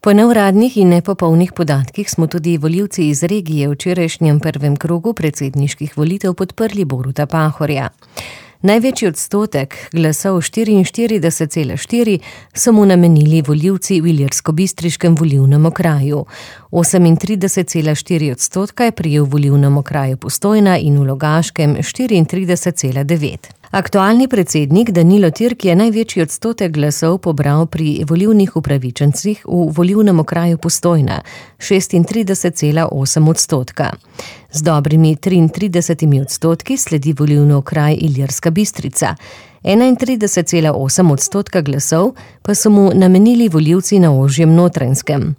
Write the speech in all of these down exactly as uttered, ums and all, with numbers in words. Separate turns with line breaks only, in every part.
Po neuradnih in nepopolnih podatkih smo tudi volivci iz regije v včerajšnjem prvem krogu predsedniških volitev podprli Boruta Pahorja. Največji odstotek glasov štiriinštirideset cela štiri so mu namenili volivci v ilirskobistriškem volilnem okraju. osemintrideset cela štiri odstotka je prejel v volilnem okraju Postojna in v Logaškem štiriintrideset cela devet. Aktualni predsednik Danilo Türk je največji odstotek glasov pobral pri volilnih upravičencih v volilnem okraju Postojna, šestintrideset cela osem odstotka. Z dobrimi triintridesetimi odstotki sledi volilni okraj Ilirska Bistrica. enaintrideset cela osem odstotka glasov pa so mu namenili volivci na ožjem Notranjskem.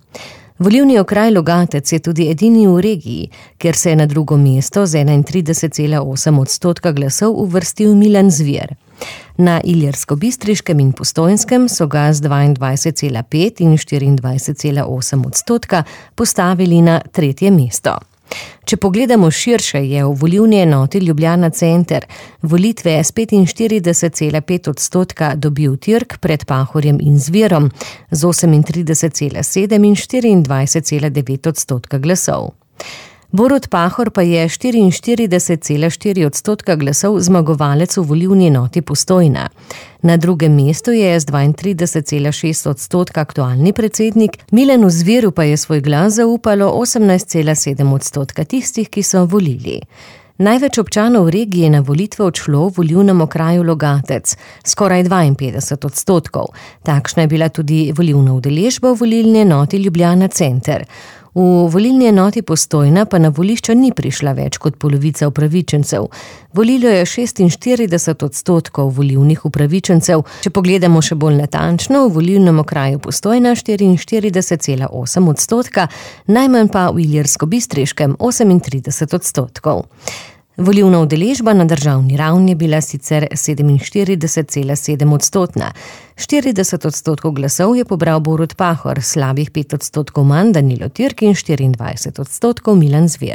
Volilni okraj Logatec je tudi edini v regiji, kjer se je na drugo mesto z enaintrideset cela osem odstotka glasov uvrstil Milan Zver. Na Ilirskobistriškem in Postojnskem so ga z dvaindvajset cela pet in štiriindvajset cela osem odstotka postavili na tretje mesto. Če pogledamo širše, je v volilni enoti Ljubljana center volitve s petinštirideset cela pet odstotka dobil Türk pred Pahorjem in Zverom z osemintrideset cela sedem in štiriindvajset cela devet odstotka glasov. Borut Pahor pa je štiriinštirideset cela štiri odstotka glasov zmagovalec v volilni enoti Postojna. Na drugem mestu je z dvaintrideset cela šest odstotka aktualni predsednik, Milanu Zveru pa je svoj glas zaupalo osemnajst cela sedem odstotka tistih, ki so volili. Največ občanov regije na volitve odšlo v volilnem okraju Logatec, skoraj dvainpetdeset odstotkov. Takšna je bila tudi volilna udeležba v volilni enoti Ljubljana center. V volilni enoti Postojna pa na volišča ni prišla več kot polovica upravičencev. Volilo je šestinštirideset odstotkov volilnih upravičencev, če pogledamo še bolj natančno, v volilnem okraju Postojna štiriinštirideset cela osem odstotka, najmanj pa v Ilirskobistriškem osemintrideset odstotkov. Volilna udeležba na državni ravni je bila sicer sedeminštirideset cela sedem odstotna. štirideset odstotkov glasov je pobral Borut Pahor, slabih pet odstotkov manj Danilo Türk in štiriindvajset odstotkov Milan Zver.